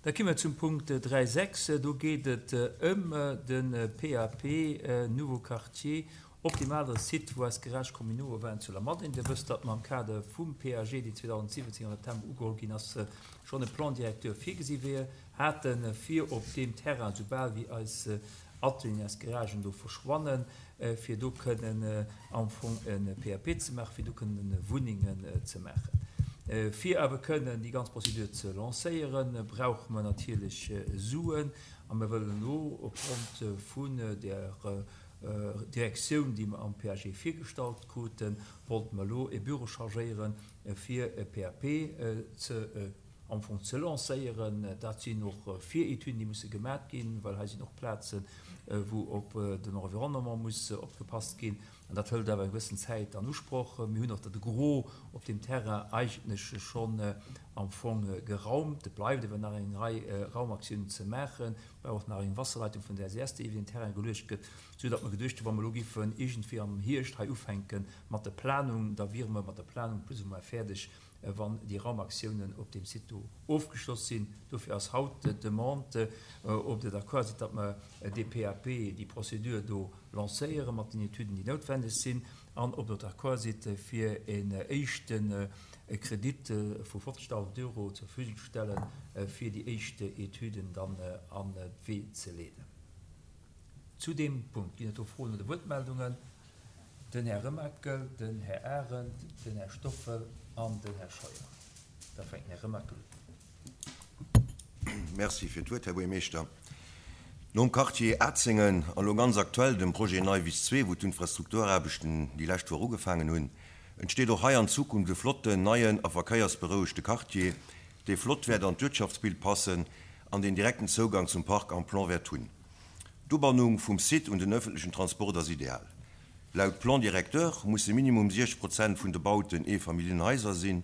Da komme mer zum Punkt 3,6. Do geet et ëm de PAP Nouveau Quartier Optimaler Site, wou eis Garages communaux waren zu Lamadeng. Dir wësst, datt mer am Kader vum PAG, deen 2017 am September ugeholl ginn ass, schonn e Plan directeur virgesi wier haten, fir op deem Terrain, soubal wéi eis Atelieren, eis Garagen do verschwannen, fir do kënnen am Fong e PAP ze maachen, fir do kënnen Wunnengen ze maachen. Fir awer kënnen déi ganz Procédure ze lancéieren, brauche mer natierlech Suen. A mir wëllen elo opgrond vun där Direktioun, déi mer am PAG virgestallt kruten, wollte mer elo e Büro chargéieren, fir e PAP ze am Fong ze lancéieren. Dat sinn och Viretüden, déi musse gemat ginn, well hei sinn och Plazen, wou op den Environnement muss opgepasst ginn. An dat hëlt awer eng gewëssen Zäit an Usproch. Mir hunn och de Gros op deem Terrain eigentlech schonn am Fong geraumt. Et bleift awer nach eng Rei Raumaktiounen ze maachen, well och nach eng Wasserleitung vun der SES, déi iwwer den Terrain geluecht gëtt, soudatt mer geduecht hunn, wa mer elo géifen iergendwéi am Hierscht hei ufänke mat der Planung, da wiere mer mat der Planung plus ou moins fäerdeg, wann déi Raumaktiounen op deem Site do ofgeschloss sinn. Dofir ass haut d'Demande, ob Der d'accord sidd, datt mer dee PAP, déi Procédure do lancéiere mat den Etüden, déi noutwendeg sinn, an ob Der d'accord sidd, fir en éischte Kredit vu 50.000 Euro zur Verfügung ze stellen, fir déi éischt Etüden dann an d'Wee ze leeden. Zu deem Punkt ginn et do Froen oder Wuertmeldungen? Den Här Remakel, den Här Arendt, den Här Stoffel an den Här Scheuer. Da fänkt den Här Remakel un. Merci fir d'Wuert, Här Buergermeeschter. Nom Quartier Atzengen an elo ganz aktuell dem Projet Neiwiss 2, wou d'Infrastrukturaarbechten déi lescht Woch ugefaangen hunn, entsteet och hei an Zukunft e flotten, neien a verkéiersberouegte Quartier, dee flott wäert an d'Uertschaftsbild passen an deen direkten Zougang zum Parc am Plan wäert hunn. D'Ubannung vum Site un den öffentlechen Transport ass ideal. Laut Plan directeur musse minimum 60 Prozent vun de Bauten Eefamilljenhaiser sinn.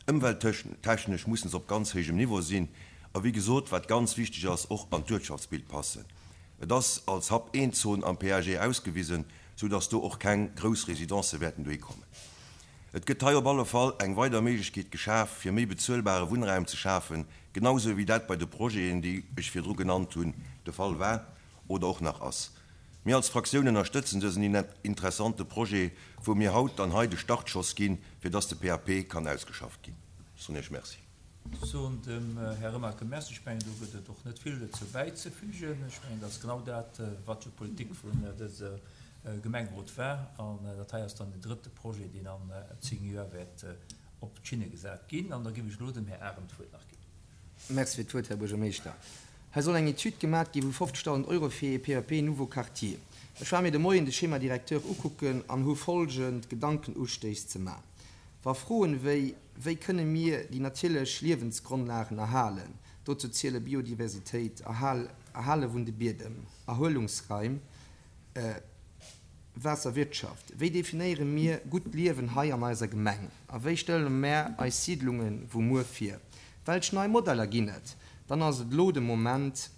Ëmwelttechnesch mussen se op ganz héijem Niveau sinn a wéi gesot, wat ganz wichteg ass, och an d'Uertschaftsbild passen. Et ass als Hub 1 Zon am PAG ausgewisen, sou dass do och keng grouss Residencë wäerten dohi kommen. Et gëtt hei op alle Fall eng weider Méiglechkeet geschaf, fir méi bezuelbare Wunnraum ze schafen, genau sou wéi dat bei de Projeten, déi ech virdru genannt hunn, de Fall war oder och nach ass. Mir als Fraktioun ënnerstëtzen dësen interessante Projet, wou mir haut dann hei de Startschoss ginn, fir dass de PAP kann ausgeschafft ginn. Ech soen Iech Merci. Ech soen dem Här Remakel Merci. Ech mengen, do gëtt et och net vill dozou bäizefügen. Ech mengen, dat ass genau dat, wat jo d'Politik vun dëser Gemengerot war. An dat hei ass dann den drëtte Projet, deen an 10 Joer wäert op d'Schinne gesat ginn. An da géif ech elo dem Här Arendt d'Wuert nach ginn. Merci fir d'Wuert, Här Buergermeeschter. Hei soll eng Etüd gemat gi vu 50.000 Euro fir ee PAP Nouveau Quartier. Ech war mir de Moien de Schéma directeur ukucken an hu folgend Gedankenustéiss ze man. Wa Froen wéi, Wéi kënne mir déi natierlech Liewensgrondlagen erhalen, dozou ziele Biodiversitéit, Erhale vun de Biedem, Erhuelungsraim, Waasserwirtschaft, wéi definéiere mir gutt Liewen hei an eiser Gemeng a wéi stelle mär eis Siidlunge vu muer vir, welch nei Modeller ginn et, dann ass et elo de Moment,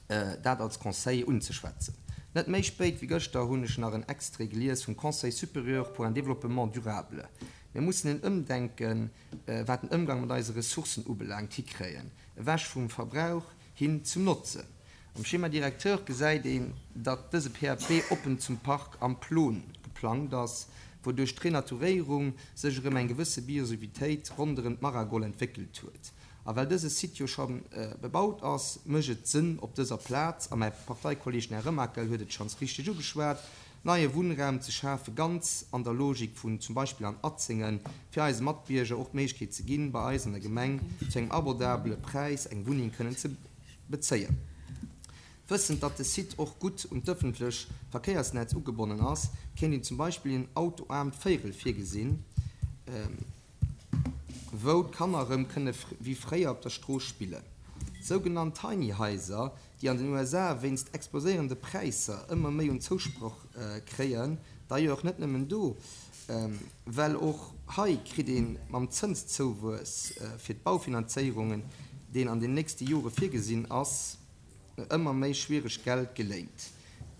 dat als Conseil unzeschwätzen. Net méi spéit wéi gëschter hunn ech nach en Extrait gelies vum Conseil supérieur pour un développement durable. Mir mussen en Ëmdenken, wat den Ëmgang mat eise Ressourcen ubelaangt, hikréien, ewech vum Verbrauch hin zum Notzen. Am Schéma directeur gesäit een, datt dëse PAP oppen zum Park am Plon geplangt ass, wou duerch d'Renaturéierung sech erëm eng gewësse Biosivitéit ronderëm d'Maragol entwéckelt huet. A well dëse Site jo scho bebaut ass, mécht et Sënn op dëser Plaz, a mäi Parteikolleeg den Här Remakel huet et schonns richteg ugeschwat, neie Wunnraum ze schafen, ganz an der Logik vun zum Beispill an Atzengen, fir eise Matbierger och d'Méiglechkeet ze ginn, bei eis an der Gemeng zu engem abordabele Präis eng Wunneng kënnen ze bezéien. Wëssend, datt de Site och gutt un d'ëffentlech Verkéiersnetz ugebonnen ass, kéint een zum Beispill een autoaarmt Véirel virgesinn, wou d'Kanner erëm kënne wéi fréier op der Strooss spillen. Sougenannt Tiny Haiser, déi an den USA wéinst exploséierende Präisser ëmmer méi un Zousproch kréien, d'ailleurs net nëmmen do, well och hei kritt ee mam Zënszouwuess fir d'Baufinanzéierungen, deen an den nächste Jore virgesinn ass, ëmmer méi schwiereg Geld geléint.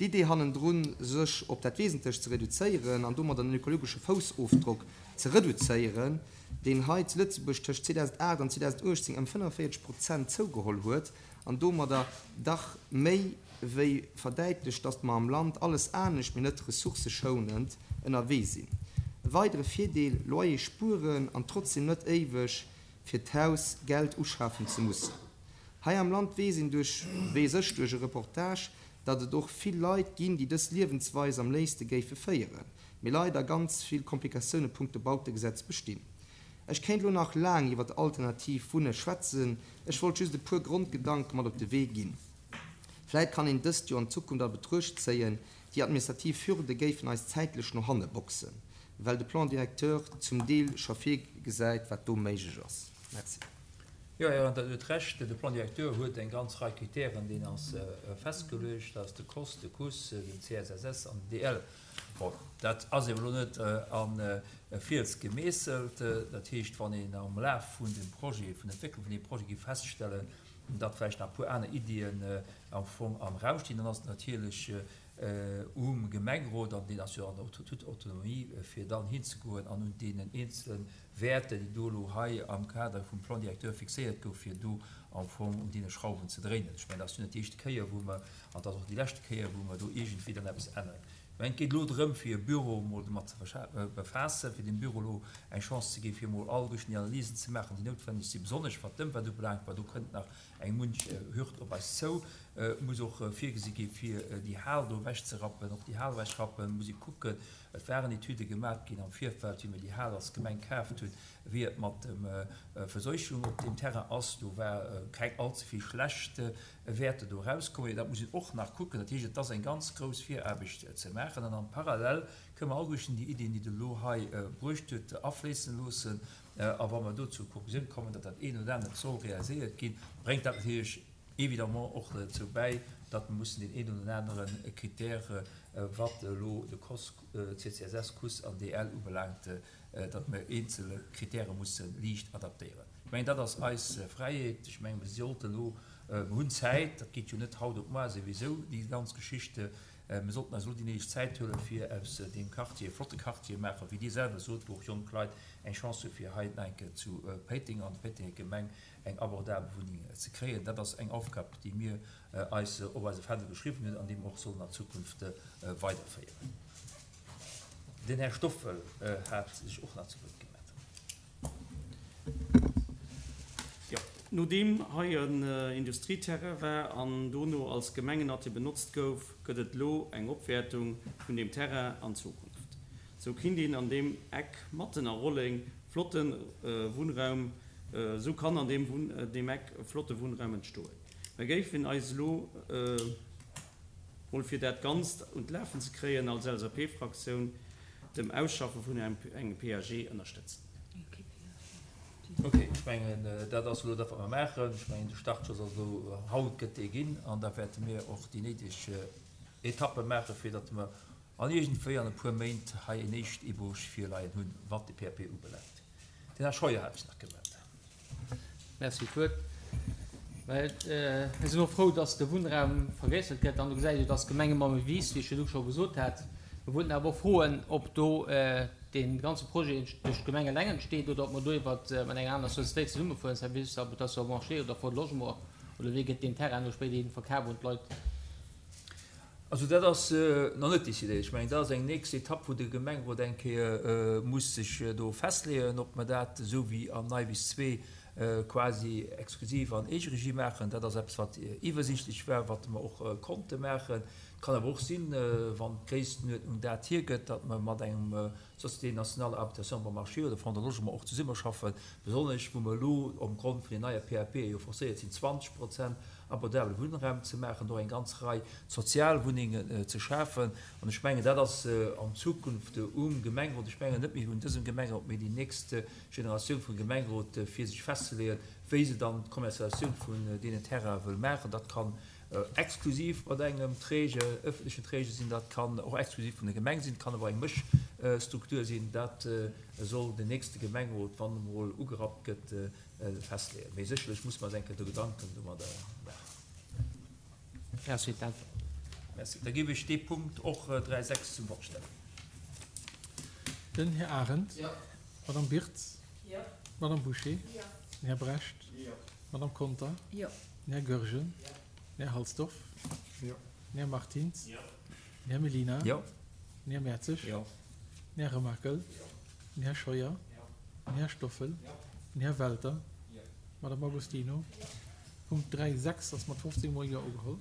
D'Idee hannendrun, sech op dat Wesentlecht ze reduzéieren an domadder den ökologesche Foussofdrock ze reduzéieren, deen hei zu Lëtzebuerg tëscht 2008 an 2018 ëm 45 Prozent zougeholl huet an domadder dach méi wéi verdäitlecht, datt mer am Land alles anescht, mee net ressourcëschounend ënnerwee sinn. E weidere Virdeel, Loyer spueren an trotzdem net éiweg fir d'Haus Geld uschafen ze mussen. Hei am Land weess een duerch, weess ech duerch e Reportage, datt et och vill Leit ginn, déi dës Liewensweis am léifste géife féieren, mee leider ganz vill Komplikatioune punkto Bautegesetz bestinn. Ech kéint elo nach laang iwwert alternativ Wunne schwätzen, ech wollt just e puer Grondgedanke mat op de Wee ginn. Vläit kann een dëst jo an Zukunft a Betruecht zéien, déi administrativ Hürde géifen eis zäitlech no hanne boxen, well de Plan directeur zum Deel scho virgesäit, wat do méiglech ass. Merci. Jo, Här Randert huet Recht. De Plan directeur huet eng ganz Rei Kritären, deen ass festgeluecht. Dat ass de COS, de CUS, den CSSS an den DL. Bon, dat ass eeben elo net a Fiels gemeesselt. Dat heescht, wann een am Laf vun dem Projet, vun der Entwécklung vun deem Projet géif feststellen, datt vläicht nach e puer aner Iddien am Fong am Raum stinn, dann ass et natierlech um Gemengerot, an deen ass jo an der toute Autonomie, fir dann hinzegoen an un deenen eenzele Wäerter, déi do elo hei am Kader vum Plan directeur fixéiert gouf, fir do am Fong un deene Schrauwen ze dréinen. Ech mengen, dat ass jo net déi éischte Kéier, wou mer, an et ass och déi leschte Kéier, wou mer do iergendwéi dann eppes änneren. Ech mengen, et geet elo drëm, fir e Büro emol domat ze befaassen, fir dem Büro elo eng Chance ze ginn, fir emol alleguerten déi Analysen ze maachen, déi noutwenneg sinn, besonnesch wat d'Ëmwelt ubelaangt, well do kënnt nach eng munch Hürd op eis zou. Et muss och virgesi gi fir déi Hal do ewechzerappen. Och déi Hal ewechrappen, muss ee kucken. Et waren Etüde gemat ginn am Virfeld, wéi mir déi Hal als Gemeng kaaft hunn, wéi et mat dem Verseuchung op deem Terrain ass. Do war keng allze vill schlecht Wäerter do erauskomm. Dat muss een och nach kucken. Dat heescht, et ass eng ganz grouss Viraarbecht ze maachen. An am Parallel kënnen mer alleguerten déi Iddien, déi Der elo hei bruecht hutt, afléissen loossen. A wa mer do zur Konklusioun kommen, datt dat eent oder anert soll realiséiert ginn, bréngt dat natierlech évidemment och dozou bäi, datt mer mussen deen een oder anere Critère, wat elo de COS, CCSS, cus an DL ubelaangt, datt mer eenzel Critèrë musse liicht adaptéieren. Ech mengen, dat ass eis Fräiheet. Ech mengen, mer sollten elo, mer hunn Zäit, dat geet jo net haut op moar souwisou, déi ganz Geschichte. Mir sollten eis elo déi néideg Zäit huelen, fir aus deem Quartier e flotte Quartier maachen, wéi Dir selwer sot, wou och jonk Leit eng Chance hu fir hei nach eng Kéier zu Péiteng an der Péitenger Gemeng eng abordabel Wunneng ze kréien. Dat ass eng Aufgab, déi mir eis op eise Fändel geschriwwen hunn an déi mer och sollen an Zukunft weiderféieren. Den Här Stoffel hat sech och nach zu Wuert gemellt. Jo, nodeem hei en Industrieterrain war an dono als Gemengenatelier benotzt gouf, gëtt et elo eng Opwäertung vun deem Terrain an Zukunft. Sou kinnt een an deem Eck matten a Rolleng flotte Wunnraum, sou kann an deem deem Eck e flotte Wunnraum entstoen. Mer géifen eis elo mol fir dat Ganzt un d'Lafen ze kréien als LSAP-Fraktioun dem Ausschaffe vun engem PAG ënnerstëtzen. Ok, ech mengen, dat ass elo dat, wat mer maachen. Ech mengen, de Startschoss ass elo haut, gëtt dee ginn, an da wäerte mir och déi néideg Etappe maachen, fir datt mer an iergendwéi an e puer Méint hei en éischt Ébauche virleien hunn, wat de PAP ubelaangt. Den Här Scheuer hat sech nach gemellt. Merci fir d'Wuert. Well mir sinn och frou, dass de Wunnraum vergréissert gëtt an do gesäit ee jo, dass d'Gemeng ëmmer méi wiisst, wéi ech virdu scho gesot hat. Mir wollten awer och froen, ob do dee ganze Projet duerch d'Gemeng eleng entsteet oder ob mer do iwwer mat enger aner Sociétéit zesummefueren, Service Habitation Bon Marché oder Fonds de Logement, oder wéi gëtt deen Terrain do spéiderhin verkaf un d'Leit? Also dat ass nach net décidéiert. Ech mengen, dat ass eng nächst Etapp, wou de Gemengerot eng Kéier muss sech do festleeën, ob mer dat esou wéi am Neiwiss 2 quasi exklusiv an Eegeregie maachen. Dat ass eppes, wat iwwersiichtlech war, wat mer och konnte maachen. Et kann awer och sinn, wann d'Gréisstenuerdnung dat hiergëtt, datt mer mat engem Société nationale habitation bon marché oder Fonds de logement och zesummeschaffen, besonnesch wou mer elo opgrond vun den neie PAPe jo forcéiert sinn, 20 Prozent abordabele Wunnraum ze maachen, och eng ganz Rei Sozialwunnengen ze schafen. An ech mengen, dat ass an Zukunft um Gemengerot, ech mengen net méi un dësem Gemengerot, mee déi nächst Generatioun vum Gemengerot, fir sech festzeleeën, wéi se dann d'Kommerzialisatioun vun deenen Terraine wëll maachen. Dat kann exklusiv mat engem Träger, öffentlechen Träger sinn, dat kann och exklusiv vun der Gemeng sinn, et kann awer och eng Mëschstruktur sinn. Dat soll den nächste Gemengerot, wann e mol ugerappt gëtt, festleeën. Mee sécherlech muss mer eis eng Kéier do Gedanken domadder maachen. Merci fir d'Äntwert. Merci. Da géif ech dee Punkt och 3, 6 zum Vott stellen. Den Här Arendt. Jo. D'Madame Birtz. Jo. D'Madame Bouché. Jo. Den Här Brecht. Jo. D'Madame Conter. Jo. Den Här Goergen. Jo. Den Här Halsdorf. Jo. Den Här Martins. Jo. Den Här Mellina. Jo. Den Här Mertzig. Jo. Den Här Remakel. Jo. Den Här Scheuer. Jo. Den Här Stoffel. Jo. Den Här Welter. Jo. D'Madame Agostino. Jo. Punkt 3, 6 ass mat 15 mol Jo ugeholl.